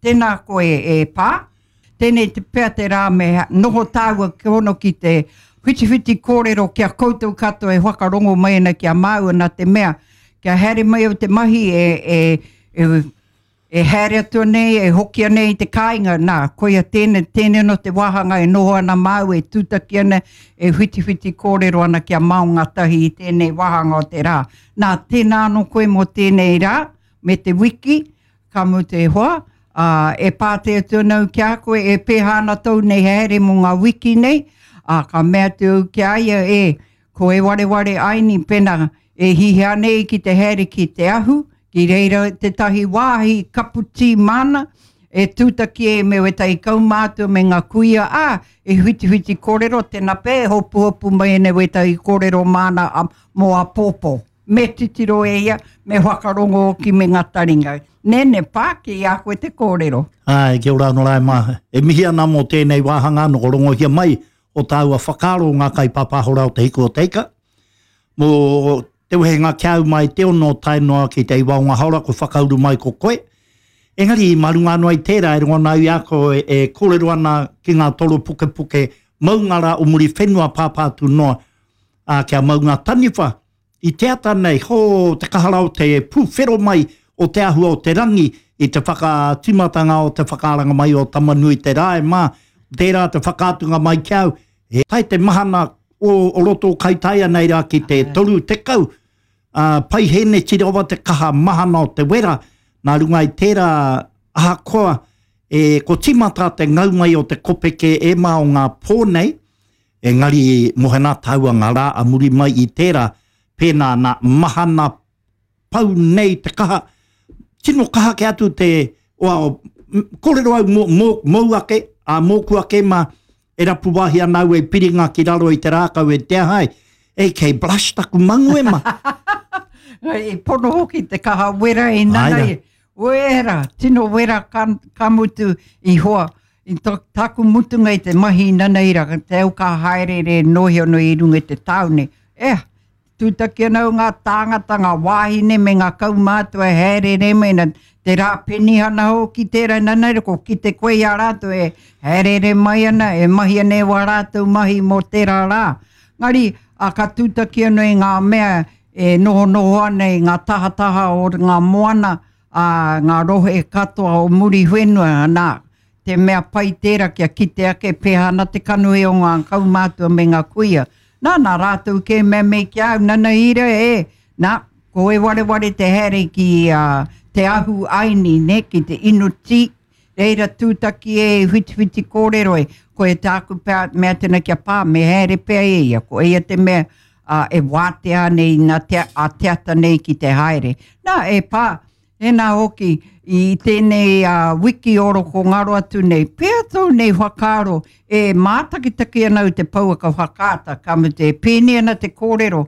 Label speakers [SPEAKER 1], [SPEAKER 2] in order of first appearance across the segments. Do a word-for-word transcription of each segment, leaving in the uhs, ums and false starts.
[SPEAKER 1] Tēnā koe e Pā. Tēnei te pea te rā me noho tāua ki hono ki te whitiwhiti kōrero ki a koutou katoa e whakarongo mai ana ki a māua nā te mea kia haere mai au te mahi e, e, e, e haere atu nei, e hoki nei i te kāinga, nā, koia tēnei, tēnei no te wāhanga e noho ana māu, e tūtaki ana, e whitiwhiti kōrero ana ki a maonga tahi i tēnei wāhanga o te rā. Nā, tēnā anō koe mō tēnei rā, me te wiki, ka mutu e hoa, ā, e pātai atu ana au ki a koe, e pēhā ana tōu nei haere mō ngā wiki nei, ā, ka mea atu au ki a ia, e, ko e wareware aini, pena, e hihia nei ki te haere ki te ahu, ki reira tētahi wāhi kapu tī māna, e tūtaki e me wētahi kaumātua me ngā kuia, ā, e whitiwhiti kōrero, tēnā pea e hopuhopu mai ana wētahi kōrero māna a, mō āpōpō. Me titiro e ia, me whakarongo hoki me ngā taringa. Nene, pā, ki a koe te kōrero.
[SPEAKER 2] Āe, kia ora anō rā e mā. E mihi ana mō tēnei wāhanga anō, ko rongohia mai o tāua whakaaro ngā kaipāpāho rā o Te Hiku o Te Ika. Mō te wehenga ki a au mai te ono tae noa ki te iwa o ngā haora ko whakauru mai ko koe. Engari, mā runga anō i tērā e rongo ana au i a koe e kōrero ana ki ngā toro pukepuke maunga rā o Muriwhenua pāpā atu noa, ā, kia maunga taniwha i te ata nei, hō, te kaha rā o te pūwhero mai o te āhua o te rangi i te whakatīmatanga o te whakaaranga mai o Tamanui-te-rā e mā, tērā te whakaatunga mai ki a au, he tae te mahana o, o roto o Kaitaia nei rā ki te toru tekau, ā, paihēneti rawa te kaha mahana o te wera, nā runga i tērā ahakoa e, ko tīmata te ngau mai o te kopeke e mā o ngā pō nei, engari mohenā tāua ngā rā a muri mai i tērā, pēnā nā mahana pau nei te kaha, tino kaha ke atu te, oa, kōrero au mō, mō, mōu ake, ā, mōku ake mā, e rapu wāhi ana au e piringa ki raro i te rākau e te aha ai, e kei blush taku mangu e ma.
[SPEAKER 1] I pono hoki te kaha wera i nana i. Wera, tino wera ka, ka mutu i hoa. I to, taku mutunga i te mahi i nanaira, te au ka haerere nohi ono i runga i te tāone. Eh, tūtaki ana au ngā tāngata, ngā wāhine me ngā kaumātua e haerere mai ana, te rā penihana hoki tērā nanaira, ko kite koe i a rātou e haerere mai ana, e mahi ana e wā rātou mahi mō tērā rā. Ngari, a ka tūtaki anō i ngā mea e nohonoho ana i ngā tahataha o ngā moana, a ngā rohe katoa o Muriwhenua, nā, te mea pai tērā kia kite ake pēhā ana te kanohi o ngā kaumātua me ngā kuia. Nā, nā rātou kē mea mei ki a au, nana ira e, nā, ko e wareware te haere ki uh, te ahu aini, ne, ki te inu tī, reira tūtaki e whitiwhiti kōrero e, ko e tāku pea, mea tēnā kia pā, me haere pea e ia, ko ia te mea uh, e wātea nei nā te, a te ata nei ki te haere. Nā, e pā, Tēnā hoki, i tēnei uh, wiki oro ko ngaro atu nei, pea tō nei whakaaro e mātakitaki ana au te pouaka whakaata, ka mutu e pēni ana te kōrero,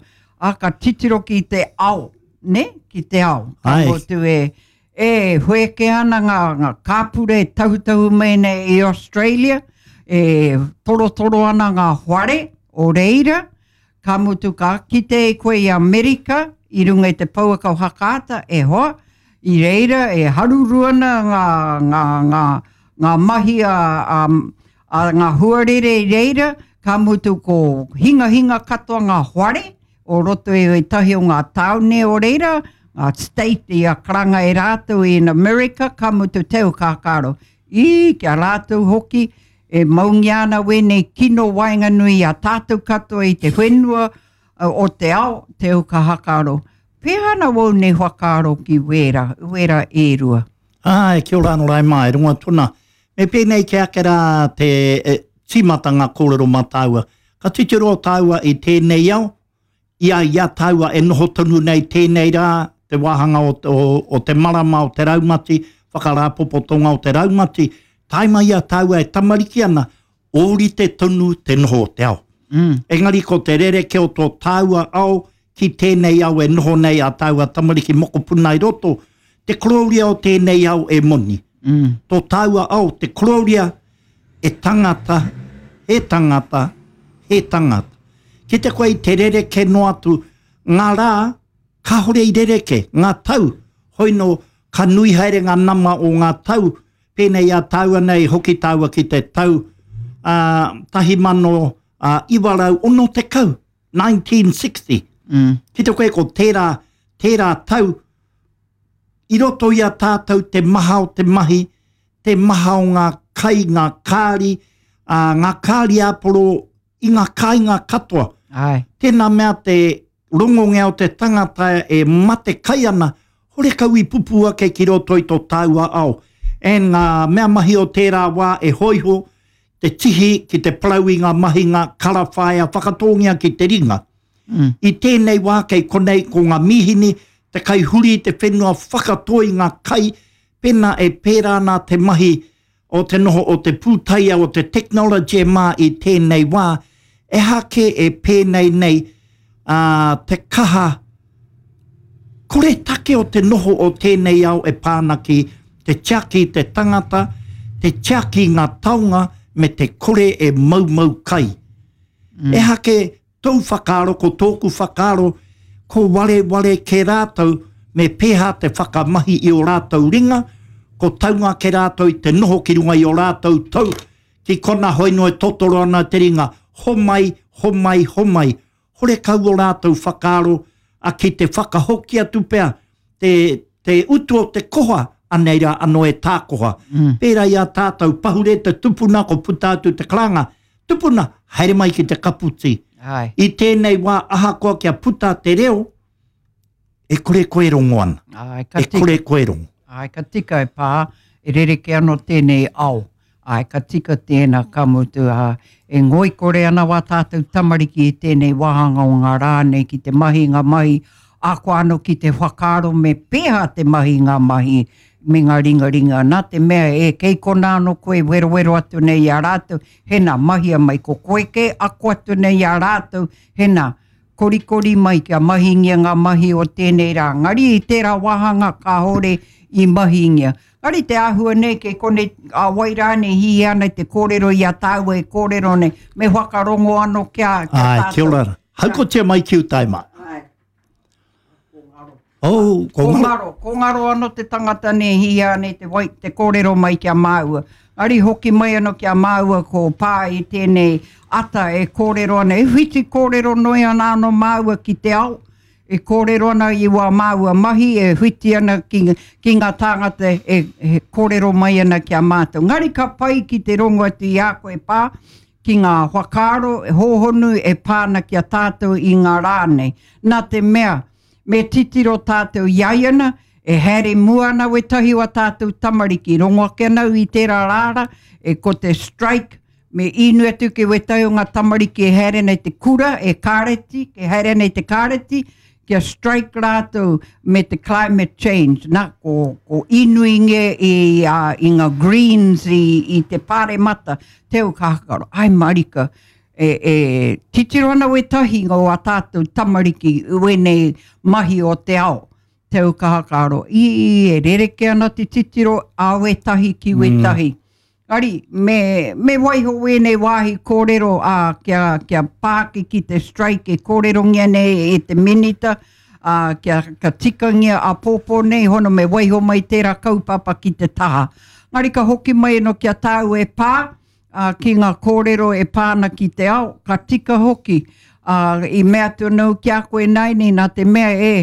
[SPEAKER 1] a ka titiro ki te ao, ne? Ki te ao. Ka mutu e, e whēke ana ngā, ngā kāpura e tahutahu mai nei i Australia, e torotoro ana ngā whare o reira, Ka mutu ka kite e koe i Amerika i runga i te pouaka whakaata, e hoa, i reira e haruru ana ngā, ngā, ngā, ngā mahi a, a, a ngā huarere i reira, ka mutu ko hingahinga katoa ngā whare o roto i ētahi o ngā tāone o reira, ngā state i a karanga e rātou in America, ka mutu te au kākaro. I, ki a rātou hoki, E maungia ana wēnei kino waenganui i a tātou katoa i te whenua o te ao, te au ka hakaaro. Pēhea ana wou nei whakaaro ki wērā, wērā e rua?
[SPEAKER 2] Āe, kia ora anō rā e mā, e rongo atu ana. Me pēnei ki ake rā te e, tīmatanga kōrero mā tāua. Ka titiro tāua i tēnei ao, i a, i a tāua e noho tonu nei tēnei rā, te wāhanga o, o, o te marama o te raumati, whakarāpopotonga o te raumati, tae mai i a tāua e tamariki ana, ōrite tonu te noho o te ao. Mm. Engari ko te rerekē o tō tāua ao ki tēnei ao e noho nei a tāua tamariki mokopuna i roto, te korōria o tēnei ao e moni. Mm. Tō tāua ao, te korōria e tangata, he tangata, he tangata. Kite koe i te rerekē noa atu, ngā rā, kāore i rerekē, ngā tau, hoi nō, ka nui haere ngā nama o ngā tau, Pēnei a tāua nei, hoki tāua ki te tau uh, tahi mano uh, iwa rau ono tekau, nineteen sixty.
[SPEAKER 1] Mm.
[SPEAKER 2] Ki te koe ko tērā, tērā tau, i roto i a tātou te maha o te mahi, te maha o ngā kai, ngā kāri, uh, ngā kāri āporo i ngā kāinga katoa.
[SPEAKER 1] Ai.
[SPEAKER 2] Tēnā mea te rongongea o te tangata e mate kai ana, hore kau i pupu ake ki roto i tō tāua ao. And ngā mea mahi o tērā wā e hoiho, te tihi ki te parau i ngā mahinga karawhaea whakatōngia ki te ringa.
[SPEAKER 1] Mm.
[SPEAKER 2] I tēnei wā kei konei ko ngā mīhini, te kai huri te whenua whakatoi ngā kai, pēnā e pērā nā te mahi o te noho o te pūtaia o te technology mā i tēnei wā, e hake e pēnei nei uh, te kaha kore take o te noho o tēnei ao e pāna ki te tiaki te tangata, te tiaki ngā taonga me te kore e maumau kai.
[SPEAKER 1] Mm.
[SPEAKER 2] E hake tōu whakaaro, ko tōku whakaaro, ko ware ware ke rātou, me pēhā te whakamahi i o rātou ringa, ko taunga ke rātou i te noho ki runga i o rātou tau, ki kona hoino e totoro ana te ringa, homai, homai, homai. Hore kau o rātou whakaaro, a ki te whakahoki atu pea, te, te utu o te koha, anei rā anō e tākoha.
[SPEAKER 1] Mm.
[SPEAKER 2] Pērā i a tātou, pahure te tupuna, ko puta atu te karanga. Tupuna, haere mai ki te kaputi.
[SPEAKER 1] Ai.
[SPEAKER 2] I tēnei wā ahakoa kia puta te reo, e kore koe rongo ana.
[SPEAKER 1] Ai, ka
[SPEAKER 2] E
[SPEAKER 1] tika.
[SPEAKER 2] kore koe rongo.
[SPEAKER 1] Ai, ka tika e pā, e rereke anō tēnei ao. Ai, ka tika tēnā ka mutu. Ā, e ngoikore ana wā tātou tamariki i tēnei wāhanga o ngā rā nei ki te mahi ngā mahi, ako anō ki te whakaaro me pēhā te mahi ngā mahi me ngā ringaringa. Nā te mea e kei kona anō koe werowero atu nei i a rātou, hena mahia mai ko koe ke ako atu nei i a rātou, hena korikori mai kia mahingia ngā mahi o tēnei rā. Ngari i tērā wāhanga kāhore i mahingia. Ngari te āhua nei kei konei a wai rānei hihi ana te kōrero i a tāua e kōrero nei, me whakarongo anō kia, kia
[SPEAKER 2] Ai,
[SPEAKER 1] tātou.
[SPEAKER 2] kia ora. Haukotia mai ki utai mā.
[SPEAKER 1] Ai. Ko ngaro.
[SPEAKER 2] Oh, ko
[SPEAKER 1] Ko
[SPEAKER 2] ngaro.
[SPEAKER 1] ngaro, ko ngaro anō te tangata nei hihi ana te, wai, te kōrero mai kia māua. Ngari hoki mai anō kia māua ko pā i tēnei ata e kōrero ana. E whiti kōrero noi ana anō māua ki te ao. E kōrero ana i wā māua mahi, e whiti ana ki, ki ngā tāngata e, e kōrero mai ana kia mātou. Ngari ka pai ki te rongo atu i a koe pā, ki ngā whakaaro e hōhonu e pāna ki a tātou i ngā rā nei. Nā te mea, me titiro tātou i ai ana, e haere mua ana wetahi o tātou tamariki. Rongo ake ana i tērā rāra, e ko te strike, me inu atu ke wetahi o ngā tamariki e haere nei te kura, e kāreti, e haere nei te kāreti, kia strike rātou me te climate change. Nā, ko, ko inuinge i, uh, i ngā greens i, i te pāremata, teo ka hakaro, ai marika, e, e titiro ana wetahi ngō a tātou tamariki uenei mahi o te ao. Teo ka hakaro, i, i e rereke ana te titiro a wetahi ki wetahi. Mm. Ari, me, me waiho wēnei wāhi kōrero a, kia, kia pāki ki te strike e kōrerongia nei e te minita, a, kia ka tikangia a pōpō nei, hono me waiho mai tērā kaupapa ki te taha. Ngari ka hoki mai no kia tāu e pā, a, ki ngā kōrero e pāna ki te ao, ka tika hoki. A, i mea atu anō ki a koe nei nei, nā te mea e,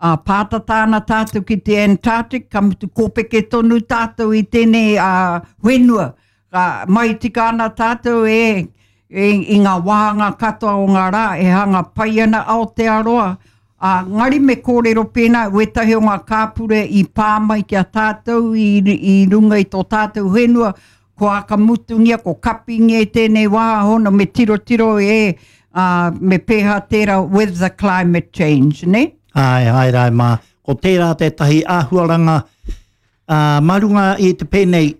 [SPEAKER 1] a, pātata ana tātou ki te Antarctic, ka mutu kōpeke tonu tātou i tēnei a, whenua. Ka mai tika ana tātou e, e, i ngā wāhanga katoa o ngā rā, e hanga pai ana Aotearoa. A, ngari me kōrero pēnā, wetahi o ngā kāpure i pā mai ki a tātou i, i runga i tō tātou whenua, ko akamutungia, ko kapingia i tēnei wā hono, me tirotiro e, uh, me pēhā tērā with the climate change, ne?
[SPEAKER 2] Ai, ai, rai mā. Ko tērā tētahi āhuaranga uh, mā runga i te pēnei,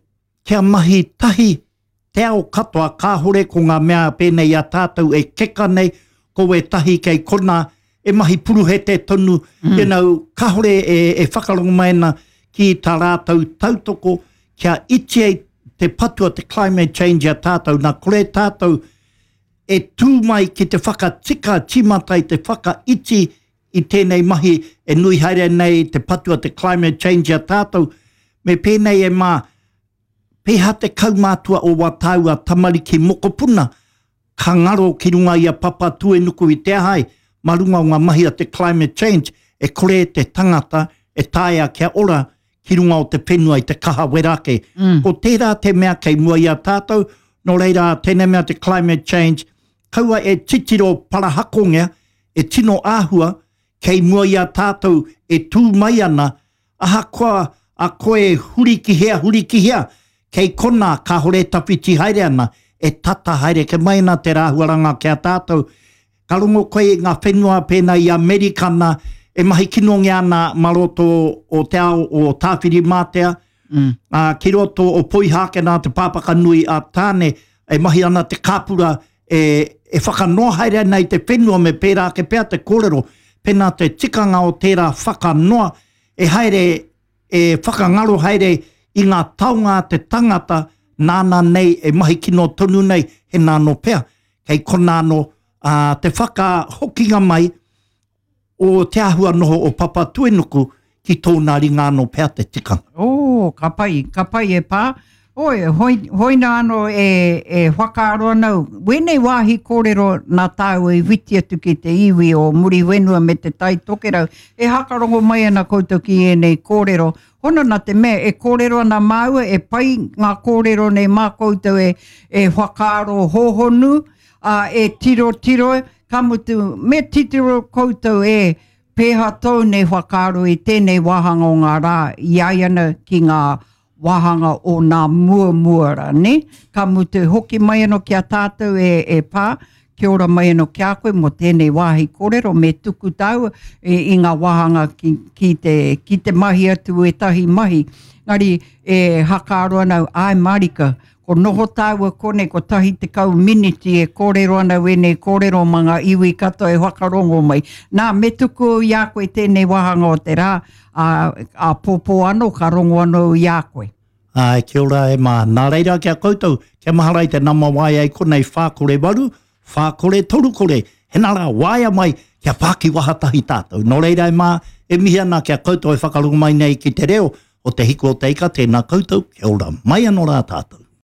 [SPEAKER 2] kia mahi tahi te ao katoa, kāhore ko ngā mea pēnei a tātou e keka nei, ko wētahi kei kona, e mahi puruhete tonu, mm. you know, kāhore e, e whakarongo mai ana ki tā rātou tautoko, kia iti ai te patua te climate change a tātou, nā kore tātou e tū mai ki te whakatika tīmata i te whakaiti i tēnei mahi e nui haere nei te patua te climate change a tātou, me pēnei e mā, Pēhea te kaumātua o wā tāua tamariki mokopuna ka ngaro ki runga i a Papatūenuku i te aha ai, mā runga o ngā mahi a te climate change, e kore te tangata e taea kia ora ki runga o te whenua i te kaha wera ake. Mm. Ko tērā te mea kei mua i a tātou, nō reira tēnei mea te climate change, kaua e titiro parahakongia, e tino āhua, kei mua i a tātou e tū mai ana, ahakoa a koe huri ki hea, huri ki hea, kei kona kāhore tawhiti haere ana, e tata haere ke mai ana te rāhuaranga ki a tātou. Ka rongo koe i ngā whenua pēnā i Amerikana, e mahi kinongia ana mā roto o te ao o Tāwhirimātea, mm. ā, ki roto o Poihākena te pāpaka nui a Tāne, e mahi ana te kāpura e, e whakanoa haere ana i te whenua me pērā ake pea te kōrero, pēnā te tikanga o tērā whakanoa, e haere, e whakangaro haere i ngā taonga a te tangata nāna nei e mahi kino tonu nei, he nā anō pea, kei konā anō ā, te whakahokinga mai o te āhua noho o Papatuenuku ki tōna ringa anō pea te tikanga.
[SPEAKER 1] Oh, ka pai, ka pai e pā. Oi, hoi, hoina anō e, e whakaaro ana au. Wēnei wāhi kōrero nā tāua i whiti atu ki te iwi o Muriwhenua me te Tai Tokerau. E hakarongo mai ana koutou ki ēnei kōrero. Hono nā te mea e kōrero ana māua, e pai ngā kōrero nei mā koutou e, e whakaaro hōhonu, ā, e tirotiro, ka mutu, me titiro koutou e pēhea tou nei whakaaro i tēnei wāhanga o ngā rā i ai ana ki ngā wāhanga o nā muamua rā, nē? Ka mutu, hoki mai anō ki a tātou e, e pā, kia ora mai anō ki a koe mō tēnei wāhi kōrero, me tuku tāua i, i ngā wāhanga ki, ki, te, ki te mahi atu ētahi mahi. Engari, e hakaaro ana au, āe mārika, ko noho tāua konei kotahi tekau miniti e kōrero ana au ēnei kōrero mā ngā iwi katoa e whakarongo mai. Nā, me tuku au i a koe tēnei wāhanga o te rā, ā, āpōpō anō ka rongo anō au i a koe.
[SPEAKER 2] Āe, kia ora e mā. Nā reira ki a koutou, kia mahara i te nama waea i konei whā kore waru, whā kore toru kore, hena rā, waea mai, kia whāki waha tahi tātou. Nō reira e mā, e mihi ana ki a koutou e whakarongo mai nei ki te reo o Te Hiku o Te Ika, tēnā koutou, kia ora mai anō rā tātou.